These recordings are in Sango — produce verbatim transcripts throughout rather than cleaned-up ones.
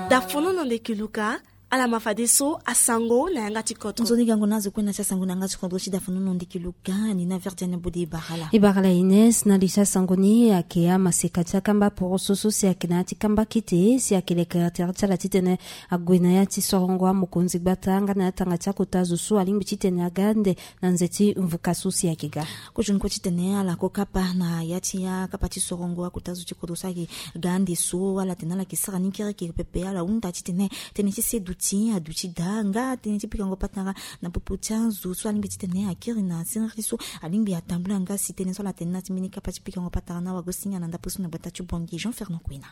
Dafono na ndeke luka. Ala ma fadeso asango na yanga ti koto. Nzoni gango na azo kue na ti asango na yanga ti kodro ti dafono na ndeke luka ni na verdiane bode ibara ala. Ibara ala ines na li ti asango ni ayeke amaseka ti akamba poroso so si ayeke na ya ti kamba kete si ayeke leke tere ti ala titene ague na ya ti sorongo amokonzi gbata nga na ya tanga ti akota zo so alingbi titene aga ande na nze ti mvuka so si ayeke ga. Kozo ni kue titene ala ko kapa na ya ti akapa ti sorongo akota zo ti kodro so ayeke ga ande so ala tene ala yeke sara ni kereke pepe ala hunda titene tënë ti seduti aduti daa nga tënë ti pikango patara na popo ti azo so alingbi titene akiri na siriri so alingbi atambula nga si tënë so ala tene na ti mbeni kapa ti pikango patara na wago singa na ndapre so na gbata ti bongi jean fernand kuina.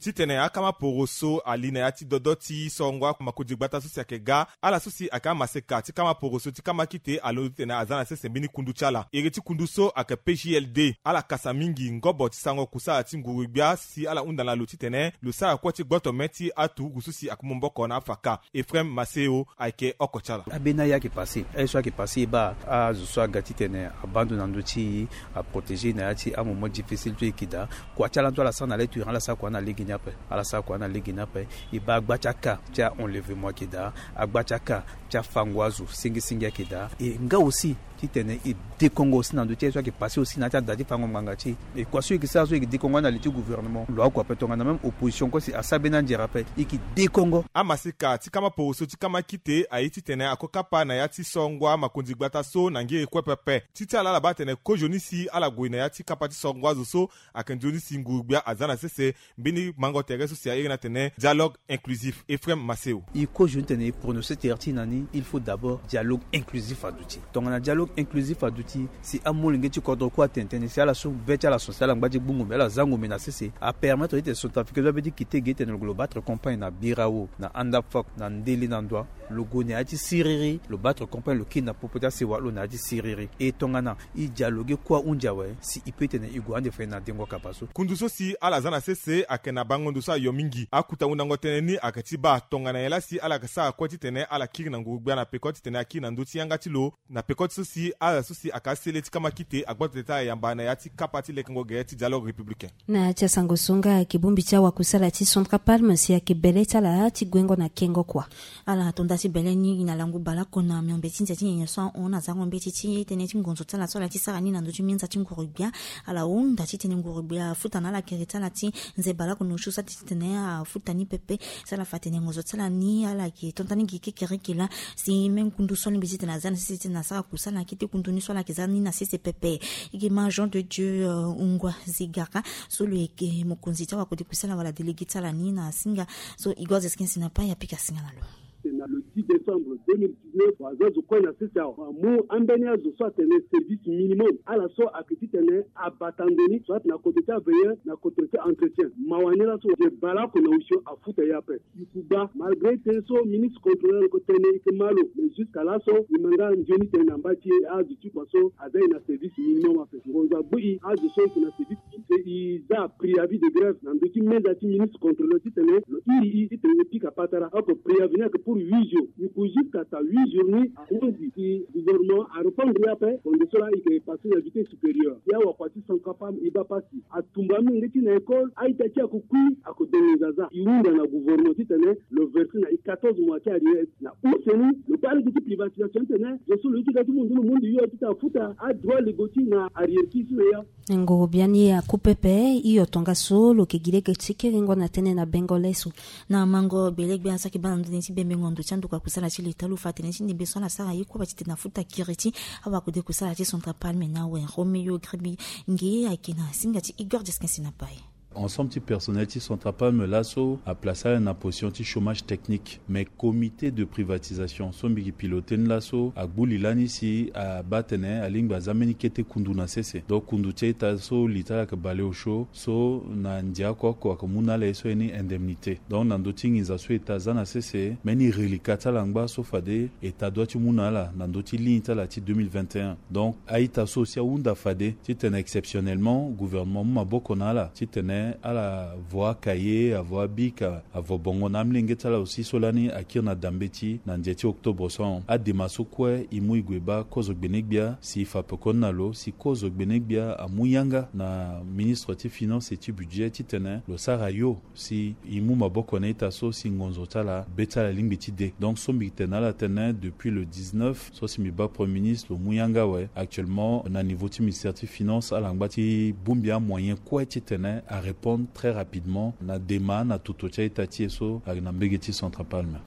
Titene akama poro so ali na ya ti dodo ti sorongo amakonzi gbata so si ayeke ga ala so si ayeke amaseka ti kama poro so ti kama kite alondo titene aza na sese mbeni kundu ti ala iri ti kundu so ayeke pjld ala kasa mingi ngobo ti sango kusala ti nguru-gbia si ala hunda na lo titene lo sara kue ti gboto me ti aturugu so si ayeke mu maboko na afaka. Efraim maseo ayeke oko ti ala. Abeni aye ayeke pase aye so ayeke pase e baa azo so aga titene abaa ndo na ndö ti e aprotégé na ya ti amoment difficile so e yeke daa. Kua ti ala ndo ala sara na le turin ala sara kua na lege ni ape. Ala sara kua na lege ni ape. E baa agba ti aka ti a-enlèvement ayeke daa. Agba ti aka ti afango azo sengesengi ayeke daa. E nga aussi titene e dekongo aussi na ndö ti aye so ayeke pase aussi na ya ti ada ti fango ngbanga ti e. E kua so e yeke sara so e yeke dekongo na li ti gouvernement lo akua ape tongana même opposition kue si asara beni anzere ape e yeke dekongo. Amaseka ti kama poroso ti kama kite aye titene ako kapa na ya ti songo amakonzi gbata so na ngiri kue pepe. Ti ti ala ala baa atene kozo ni si ala gue na ya ti kapa ti songo azo so ayeke nzoni si nguru-gbia aza na sese mbeni mango tere so si airi ni atene dialogue inclusif. Efraim maseo. E kozo ni tene e prononcer tere ti e na ni il faut d'abord dialogue inclusif aduti. Tongana dialogue inclusif aduti si amolenge ti kodro kue atene tënë si ala so be ti ala so si ala ngba ti gbu ngombe ala za ngombe na sese apermettre ti tene centrafricain so abe ti kite ge ti tene lo batre campagne na birao na andafok na ndele na ndoa. Lo gue na ya ti siriri lo batre campagne lo kiri na popo ti asewa lo na ya ti siriri e tongana e dialogue kue ahunzi awe si e peut tene e gue ande fade na dengo kapa so. Kundu so si ala za na sese ayeke na bango ndo so ayo mingi akuta hundango tënë ni ayeke ti baa tongana nyen laa si ala yeke sara kue titene ala kiri na nguru-gbia na peko titene akiri na ndö ti yanga ti lo na peko ti so si ala so si ayeke asele ti kama kite agboto tene ti ala yamba na ya ti kapa ti lekengo gere ti dialogue républicain. Na ya ti asango so nga ayeke bongbi ti awakusala ti central palme si ayeke bele ti ala ti guengo na kengo kua. Ala tonda ti bele ni na langu baleoko na miombe ti nze ti nyenye so ahon na zango mbeti ti tënë ti ngonzo ti ala so ala ti sara ni na ndö ti minza ti nguru-gbia. Ala hunda titene nguru-gbia afuta na ala kiri ti ala ti nze baleoko na osio so ati titene afuta ni pepe. Si ala fa tene ngonzo ti ala ni ala yeke tonda ni gi kekereke laa si me ngundu so alingbi titene aza na sese titene asara kusala na kete kundu ni so ala yeke za ni na sese pepe. E yeke ma jean de dieu ngua zigara so lo yeke mokonzi ti awakode kusala wala délégué ti ala ni na singa. So igor zeskin si na pai apika singa na lo. Na le dix décembre deux mille dix-neuf aza zo kue na sese awa amu ambeni azo so atene service minimum ala so ayeke titene abata ndo ni soit na kote ti aveilleur na kote ti entretien mawa ni laso nze baleoko na osio afuta ye ape. Ikuba malgré tënë so ministre contrôleur ko tene e ke ma lo mais jusqu'à laso e ma nga nzoni tënë na mba ti e azo ti kua so aza e na service minimum ape ngonzo agbu e azo so e ke na service. E za préavis de grève na ndö ti meza ti ministre contrôleur titene lo iri e titene e pika patara oko préavis ni ayeke pour huit jours. E ku jusqu'à ta huit jours ni ahunzi si gouvernement arépondre ye ape. Bonde so laa e yeke passé na vitesse supérieure si awakua ti central palme e baa pasi atumba amolenge ti na école a-ita ti ako kui ako dongo nzaza. E hunda na gouvernement titene lo verse na e quatorze mois ti arrière na use ni lo baa lege ti privatisation titene zo so lo ye ti ga ti mundu lo mundu yo titene afuta adroit lego ti na arrière ti so na ya. Nguru-gbia ni aku pepe hio tongaso lo yeke gi lege ti kiringo na tënë na bengo le so. Na mango gbele-gbia so ayeke baa na ndö ni ti bembengo ndo ti andokua kusala ti leta lo fa tënë ti ndembe so ala sara ye kue bati titene afuta kiri ti awakode kusala ti central palme na awe romeo gribi nge ayeke na singa ti igor deskin si na pai. Ensemble ti personnel ti central palme laso aplace ala na position ti chômage technique mais comité de privatisation so mbi gi piloté ni laso agbu li lani si abaa tene alingbi aza mbeni kete kundu na sese donc kundu ti a-ita so li ti ala yeke bale osio so na ndia oko oko ayeke mu na ala ye so ye ni indemnité donc na ndö ti nginza so eta aza na sese mbeni reliquat ti ala ngba so fade eta doit ti mu na ala na ndö ti ligne ti ala ti deux mille vingt et un. Donc a-ita so aussi ahunda fade titene exceptionnellement gouvernement amu maboko na ala titene Ala vo akaye, avo abik, avo bongo na amolenge ti ala aussi so lani akiri na da mbeti na ndia ti octobre so ahon. Adema so kue e mu e gue baa kozo gbene-gbia si e fa pekoni na lo si kozo gbene-gbia amu yanga na ministre ti finance et ti budget titene lo sara yo si e mu maboko na ita so si ngonzo ti ala be ti ala lingbi ti de. Donc so mbi tene na ala tene depuis le dix-neuf so si mbi baa premier ministre lo mu yanga awe. Actuellement na niveau ti ministère ti finance ala ngba ti bongbi amoyen kue titene arépondre très rapidement na dema na toto ti a-ita ti e so ayeke na mbege ti Centrapalme.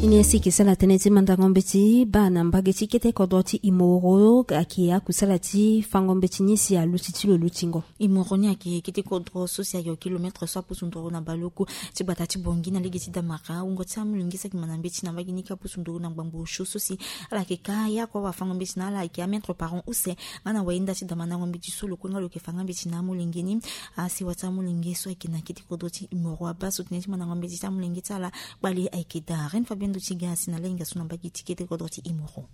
E ni si e yeke sara tënë ti mandango mbeti baa na mbage ti kete kodro ti Imoro ayeke akusala ti fango mbeti ni si aluti ti lo lutingo. Imoro ni ayeke kete kodro so si ayeke kilomètre so apusu nduru na baleoku ti gbata ti Bangui na lege ti Damara. Wungo ti amolenge so ayeke manda mbeti na mbage ni ka apusu nduru na ngbangbo osio so si ala yeke ka ya kue wafango mbeti na ala ayeke amètre par an use. Nga na wayinda ti da mandango mbeti so lo kue nga lo yeke fa nga mbeti na amolenge ni. Asewa ti amolenge so ayeke na kete kodro ti Imoro abaa so tënë ti mandango mbeti ti amolenge ti ala kpale ayeke daa. Reine Fabienne Dotiga asi na lahinga so na mbage ti kete kodro ti Imoro.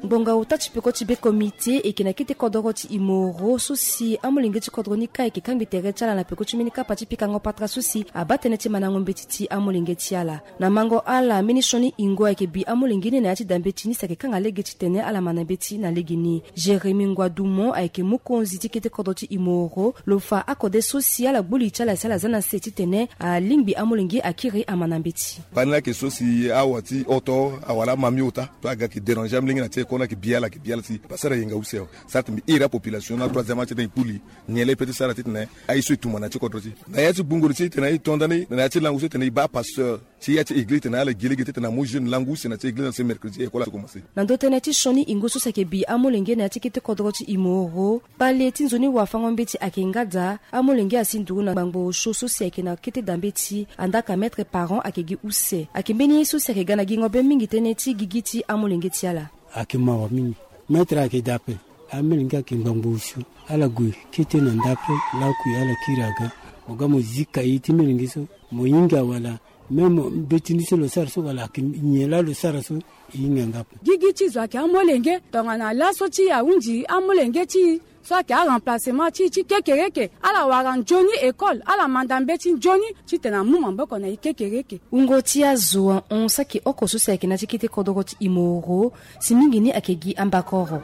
Ngbonga ota ti peko ti be komite e yeke na kete kodoro ti Imoro so si amolenge ti kodro ni ka ayeke kangbi tere ti ala na peko ti mbeni kapa ti pikango patara so si abaa tënë ti mandango mbeti ti amolenge ti ala. Na mango ala mbeni sioni ingo ayeke bi amolenge ni na ya ti da mbeti ni si ayeke kanga lege titene ala manda mbeti na lege ni. Jérémie Ngua Dumont ayeke mokonzi ti kete kodro ti Imoro. Lo fa akode so si ala gbu li ti ala si ala za na se titene alingbi amolenge akiri amanda mbeti. Pani laa ayeke so si awa ti oto awala amami ota so aga ayeke déranger amolenge na ti école ni ayeke bi ala ayeke bi ala si pasara yenga use awe. Sara ti mbi iri apopulation na troisième âge titene e kpuli nyen laa e peut ti sara titene aye so e tuma na ti kodro ti e na ya ti gbungo ti e titene e to nda ni na ya ti langu so titene e baa pasteur ti ya ti église titene ala gi lege titene amu jeune langu use na ti église na se mercredi école aso commencé. Na ndo tënë ti sioni ingo so si ayeke bi amolenge na ya ti kete kodoro ti Imoro. Kpale ti nzoni wafango mbeti ayeke nga daa. Amolenge asi nduru na ngbangbo osio so si ayeke na kete da mbeti andaa ka mètre par an ayeke gi use. Ayeke mbeni ye so si ayeke ga na gingo be mingi tënë ti gigi ti amolenge ti ala. Ayeke mawa mingi. Mètre ayeke daa ape. Amolenge ayeke ngbangbo osio. Ala gue kete na nda ape. Lakue ala kiri aga. Mo ga mo zi kaye ti molenge so mo hinga wala même mbeti ni so lo sara so wala ayeke nyen laa lo sara so. E hinga nga ape. Gigi ti zo ayeke amolenge tongana laso ti e ahunzi amolenge ti e so ayeke aremplacement ti e ti kekereke. Ala wara nzoni école ala manda mbeti nzoni titene amu maboko na e kekereke. Wungo ti azo ahon saki oko so si ayeke na ti kete kodoro ti Imoro. Si mingi ni ayeke gi ambakoro.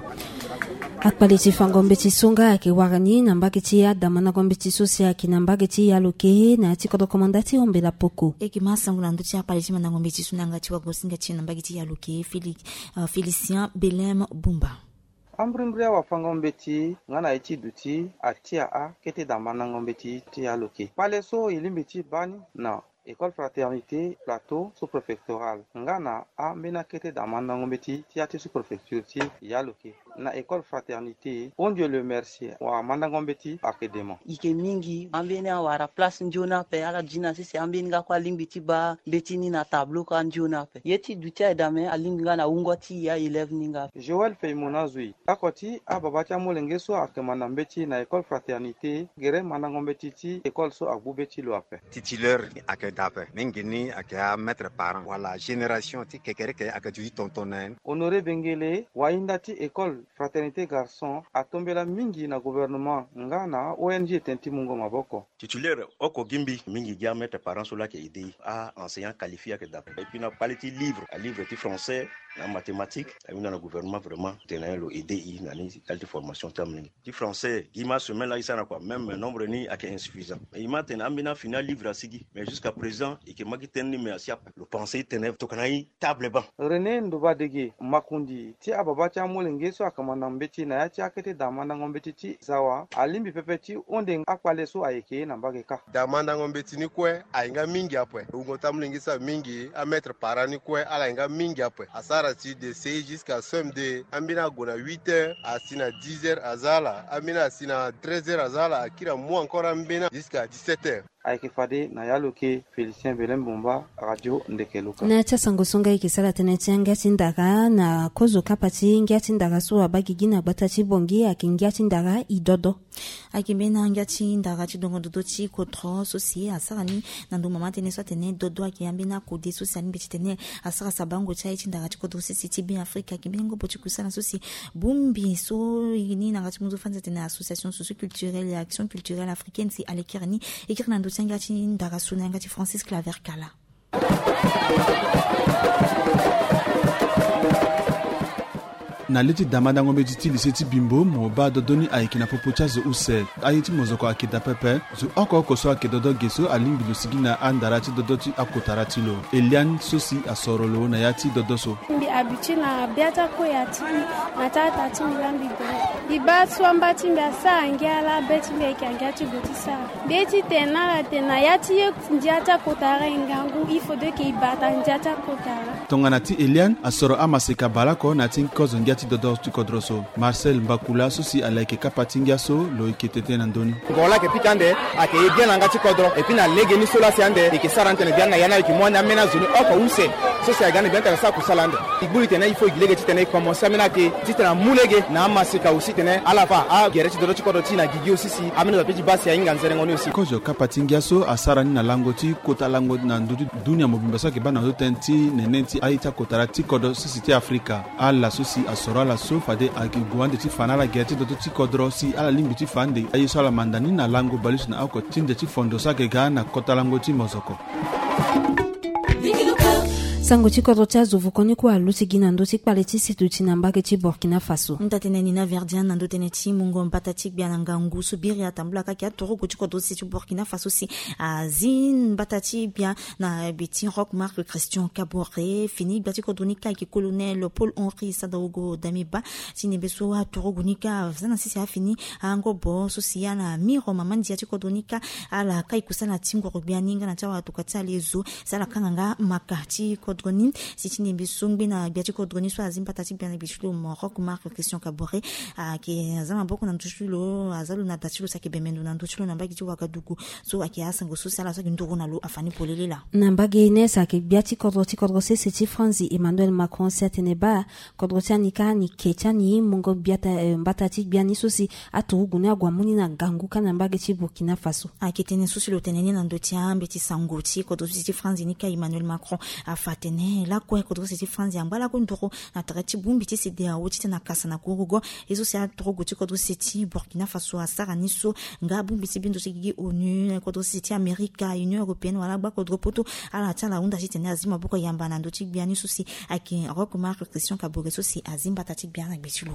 Akpale ti fango mbeti so nga ayeke wara ni na mbage ti ada mandango mbeti so si ayeke na mbage ti Yaloke na ya ti kodro komanda ti Ombela Poko. E yeke ma sango na ndö ti akpale ti mandango mbeti so na yanga ti wagosinga ti e na mbage ti Yaloke Félix, euh, Félicien Belem Bumba. Ambrimbri awafango mbeti nga na ye ti duti atia akete da mandango mbeti ti Yaloke. Kpale so e lingbi ti baa ni na École Fraternité Plateau sous-préfectorale nga na ambeni akete da mandango mbeti ti ya ti sous-préfecture ti Yaloke. Na École Fraternité, Ondio le Mercier, wamandango mbeti ayeke dema. E yeke mingi ambeni awara place nzoni ape, ala zi na sese ambeni nga kue alingbi ti baa mbeti ni na tableau kue anzoni ape. Ye ti duti aye dame alingbi nga na wungo ti e aélève ni nga. Joël Feimona Zui, oko ti ababa ti amolenge so ayeke manda mbeti na École Fraternité, gere mandango mbeti ti école so agbu be ti lo ape. Titulaire ayeke daa ape, mingi ni ayeke amètre par an wala génération ti kekereke ayeke duti tonton na ye. Honoré Bengele, wahinda ti école Fraternité Garçon, atombela mingi na gouvernement nga na O N G tënë ti mungo maboko. Titulaire oko gi mbi, mingi gi amètre par an so laa ayeke aidé e. A-enseignant qualifié ayeke daa ape. Et puis na kpale ti livre, alivre ti français na mathématique, awinda na gouvernement vraiment tene na ye lo aidé e na ni qualité formation ti amolenge. Ti français gi ma semaine laa e sara na kua, même nombre ni ayeke insuffisant. Mais e ma tene ambeni afini alivre asigi, mais jusqu'à présent e yeke ma gi tënë ni me asi ape. Lo pensé titene tokana e table banc. René Ndobadege, makundi ti ababa ti amolenge so ayeke manda mbeti na ya ti akete da mandango mbeti ti Zawa, alingbi pepe ti hunde akpale so ayeke na mbage kâ. Da mandango mbeti ni kue aye nga mingi ape. Wungo ti amolenge so aye mingi, amètre par an ni kue ala ye nga mingi ape. Asara ti de C E jusqu'à C M deux, ambeni ague na huit heures, asi na dix heures aza ala, ambeni asi na treize heures aza ala, akiri amu encore ambeni jusqu'à dix-sept heures. Ayeke fade na ya lo ke Félicien Belem Bomba, Radio Ndeke Luka. Na ya ti asango so nga e yeke sara tënë ti angia ti ndara na kozo kapa ti ngia ti ndara so abaa gigi na gbata ti Bangui ayeke ngia ti ndara idodo. Ayeke mbeni angia ti ndara ti dongo dodo ti kodro so si asara ni na ndo mama tënë so atene dodo ayeke ambeni akode so si alingbi ti tene asara sabango ti aye ti ndara ti kodro sese ti Beafrika. Ayeke mbeni ngobo ti kusala so si bongbi so e ni na yanga ti mu zo fani atene association socio-culturelle et action culturelle africaine si alekere ni e kiri na ndo ti angia ti ndara so na yanga ti Francis Claver Kala. Na le ti damandango mbeti ti lise ti Bimbo mo baa dodo ni ayeke na popo ti azo use. Aye ti mozoko ayeke daa pepe. Zo oko oko so ayeke dodo ge so alingbi lo sigi na andara ti dodo ti akotara ti lo. Eliane so si asoro lo na ya ti dodo so. Mbi habitué na bia ti akoya ti mbi na ti ata ti mbi laa mbi gue. Mbi baa so amba ti mbi asara ngia laa be ti mbi ayeke angia ti gue ti sara. Mbi ye ti tene na ala tene na ya ti ye ndia ti akotara e ngangu, il faudrait que e bata ndia ti akotara. Tongana ti Eliane asoro amaseka baleoko na ya ti kozo ngia ti dodo ti kodro so. Marcel Mbakula so si ala yeke kapa ti ngia so lo yeke tete na ndö ni. Ngoro laa ayeke pika ande ayeke ye bien na yanga ti kodro. Et puis na legeni so laa si ande e yeke sara ni tene biani na ya ni ayeke mu ande ambeni azo ni oko use. So si ayeke ga ande biani tene asara kusala ande. E gbu li tene il faut e gi lege titene e komanse ambeni ake titene amu lege na amaseka aussi tene ala fa agere ti dodo ti kodro ti e na gigi aussi si ambeni azo ape ti baa si ahinga nzerengo ni aussi. Kozo kapa ti ngia so asara ni na lango ti kota lango na ndö ti dunia mobimba so ayeke baa na ndö tënë ti nene ti aye ti akotara ti kodro sese ti Afrika. Ala so si asoro ala so fade ayeke gue ande ti fa na ala gere ti dodo ti kodro si ala lingbi ti fa ande aye so ala manda ni na lango baleuse na oko ti nze ti fondo so ayeke ga na kota lango ti mozoko. Sango ti kodro ti azo voko ni kue aluti gi na ndö ti kpale ti si duti na mbage ti Burkina Faso. Nda tënë ni na Verdian na ndö tënë ti mungo mbata ti gbia na ngangu so biri atambula kake aturugu ti kodro sese ti Burkina Faso si azi mbata ti gbia na gbe ti Rock Marc Christian Kaboré. Fini gbia ti kodro ni kâ ayeke colonel Paul Henri Sadaogo Damiba. Ti nembe so aturugu ni kâ aza na sese afini angobo so si ala miro mama ndia ti kodro ni kâ ala kai kusala ti ngoro gbia ni nga na ti awatuka ti ala ezo si ala kanga nga maka ti kodro ni. Si ti nembe so ngbe na gbia ti kodro ni so azi mbata ti gbia na gbe ti lo mo Rock Marc Christian Kaboré ayeke aza maboko na ndö ti lo, aza lo na da ti lo si ayeke bembe ndo na ndö ti lo na mbage ti Ouagadougou. So ayeke asango so si ala so ayeke nduru na lo afa ni polele laa. Na mbage ni si ayeke gbia ti kodro ti kodro sese ti France Emmanuel Macron si atene baa kodro ti ani kâ ni ke ti ani mungo gbia ta, eh, mbata ti gbia ni so si aturugu ni ague amu ni na ngangu kâ na mbage ti Burkina Faso. Ayeke tënë so si lo tene ni na ndö ti ambeti sango ti kodro sese ti France ni kâ Emmanuel Macron afa atene lakue kodro sese ti France angba lakue nduru na tere ti bongbi ti CEDEAO titene akasa na kurugo. Ye so si aturugu ti kodro sese ti Burkina Faso asara ni so nga bongbi ti bindo ti gigi ONU, kodro sese ti Amerika, Union Européenne wala gba kodro poto, ala ti ala hunda titene azi maboko yamba na ndö ti gbia ni so si ayeke Rock Marc Christian Kaboré so si azi mbata ti gbia na gbe ti lo.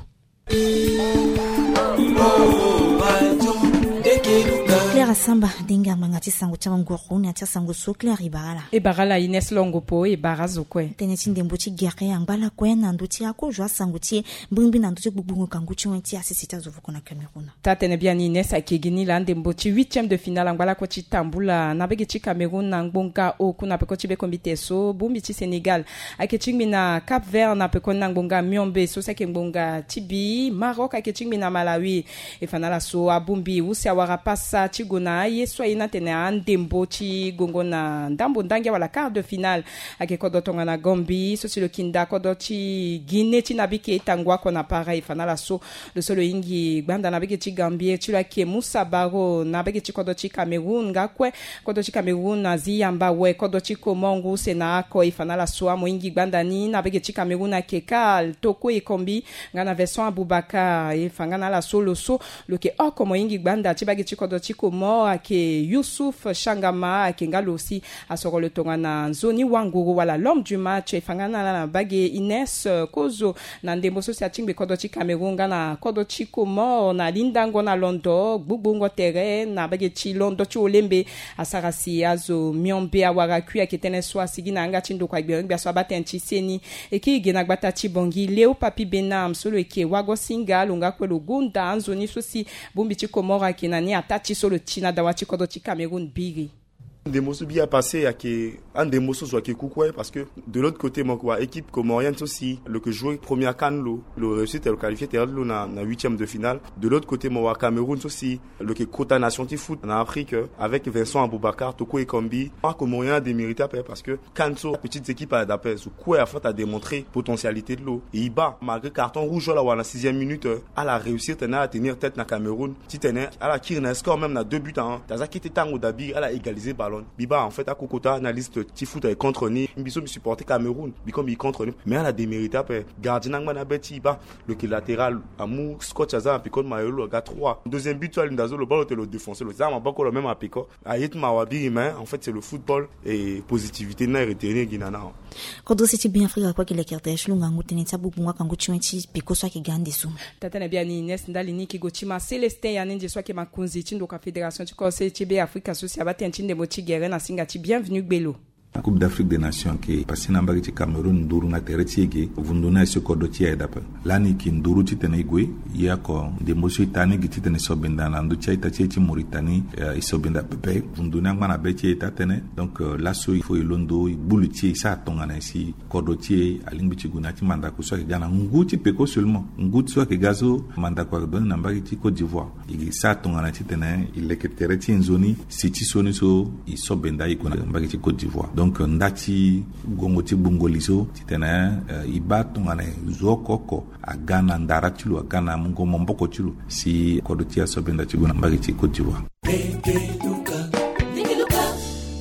Claire Asamba, denga ngbanga ti sango ti anguru na ya ti asango so. Claire, e bara ala. E bara ala Ines Longo Po, e bara azo kue. Tënë ti ndembo ti gere angba lakue na ndö ti akozo asango ti e mbirimbiri na ndö ti gbugbungo kangu ti wen ti asese ti azo voko na Cameroun. Taa-tënë biani Ines, ayeke gi ni laa ndembo ti huitième de finale angba lakue ti tambula na mbage ti Cameroun na ngbonga oku na peko ti bekombite so. Bongbi ti Sénégal ayeke tingbi na Cap Vert na pekoni na ngbonga miombe so si ayeke ngbonga ti bi. Maroc ayeke tingbi na Malawi. E fa na ala so abongbi use awara pasa ti gue na aye so aye ni atene andembo ti gongo na ndambo ndangia wala quart de finale. Ayeke kodro tongana Gambie so si lo yeke nda kodro ti Guinée ti nabike tango oko na para. E fa na ala so lo so lo hingi gbanda na mbage ti Gambie ti lo ayeke Moussa Barrow na mbage ti kodro ti Cameroun nga kue. Kodro ti Cameroun azi yamba awe kodro ti Comores ngu use na oko. E fa na ala so amohingi gbanda ni na mbage ti Cameroun ayeke Karl Toko Ekambi nga na Vincent Aboubakar. E fa nga na ala so lo so lo yeke oko mohingi gbanda ti mbage ti kodro ti Comores ayeke Youssouf Changama, ayeke nga lo si asoro lo tongana nzoni wanguru wala l'homme du match. E fa nga na ala na mbage Ines, eh, kozo na ndembo so si atingbi kodro ti Cameroun nga na kodro ti Comores na lindango na londo, gbugbungo tere na mbage ti londo ti olembe. Asara si azo miombe awara kui. Ayeke tënë so asigi na yanga ti ndokua gbia gbia so abaa tënë ti seni. E kiri ge na gbata ti Bangui, Léo Papy Benam so lo yeke wago-singa, lo nga kue lo gonda anzoni so si bongbi ti Comores ayeke na ni ataa ti so lo ti na dawa ti kodro ti Cameroun biri. Ndembo so bi apassé ayeke andembo so zo ayeke ku kue, parce que de l'autre côté mo yeke wa équipe comorienne so si lo yeke jouer première CAN lo, lo réussir tene lo qualifier tere ti lo na, na huitième de finale. De l'autre côté mo wa Cameroun so si lo yeke kota nation ti foot na Afrique, euh, avec Vincent Aboubakar, Toko Ekambi. Acomorien adémérité ape, parce que CAN so apetite équipe ala daa ape, zo kue afa ti adémontrer potentialité ti lo. E e baa malgré carton rouge so ala wara na sixième minute, euh, ala réussir tene ala tenir tête na Cameroun, titene ala kiri na score même na deux buts à un. Ti aza kete tango daa bi ala égaliser ballon. Mbi baa en fait akokota na liste ti foot ayeke contre ni. Mbi so mbi supporter Cameroun, mbi comme mbi contre ni. Mais ala démérité ape. Gardien ni angba na be ti e baa, lo yeke latéral, amu scotch aza na peko ti mayo lo aga trois. Deuxième but so alinda zo lo baa lo tene lo défoncer lo za na maboko lo même na peko. Aye ti mawa biri, mais en fait c'est le football et positivité ni na e retenir gi na ni. Kodro se ti Beafrika kue ayeke leke tere ti lo ngangu tënë ti abugbungu akangu ti wen ti peko so ayeke ga ande so. Tata na biani Ines ndali ni yeke gue ti ma Célestin Yanenze so ayeke makonzi ti ndoka fédération ti kodro se ti Beafrika so si abaa tënë ti ndembo ti gere na singa ti Bienvenu Gbelo. Coupe d'Afrique des Nations ayeke passé na mbage ti Cameroun nduru na tere ti e ge. Vundu ni aye so kodro ti e aye daa ape. Lani e yeke nduru titene e gue. Ye oko ndembo so e taa ni gi titene e so benda na ndö ti a-ita ti e ti Mauritanie, eh, e so benda pepe. Vundu ni angba na be ti e taa tënë. Donc, euh, laso il faut e londo e gbu li ti e, e sara tongana nyen si kodro ti e alingbi ti gue na ya ti mandako so ayeke ga na ngu ti peko seulement. Ngu ti so ayeke ga so mandako ayeke donné na mbage ti Côte d'Ivoire. E sara tongana titene e leke tere ti e nzoni si ti sioni so e so benda e gue na mbage ti Côte d'Ivoire. Donc nda ti gongo ti gbungo li so titene, eh, e baa tongana zo oko oko aga na ndara ti lo, aga na mungo maboko ti lo si kodro ti e aso benda ti gue na mbage ti Côte d'Ivoire.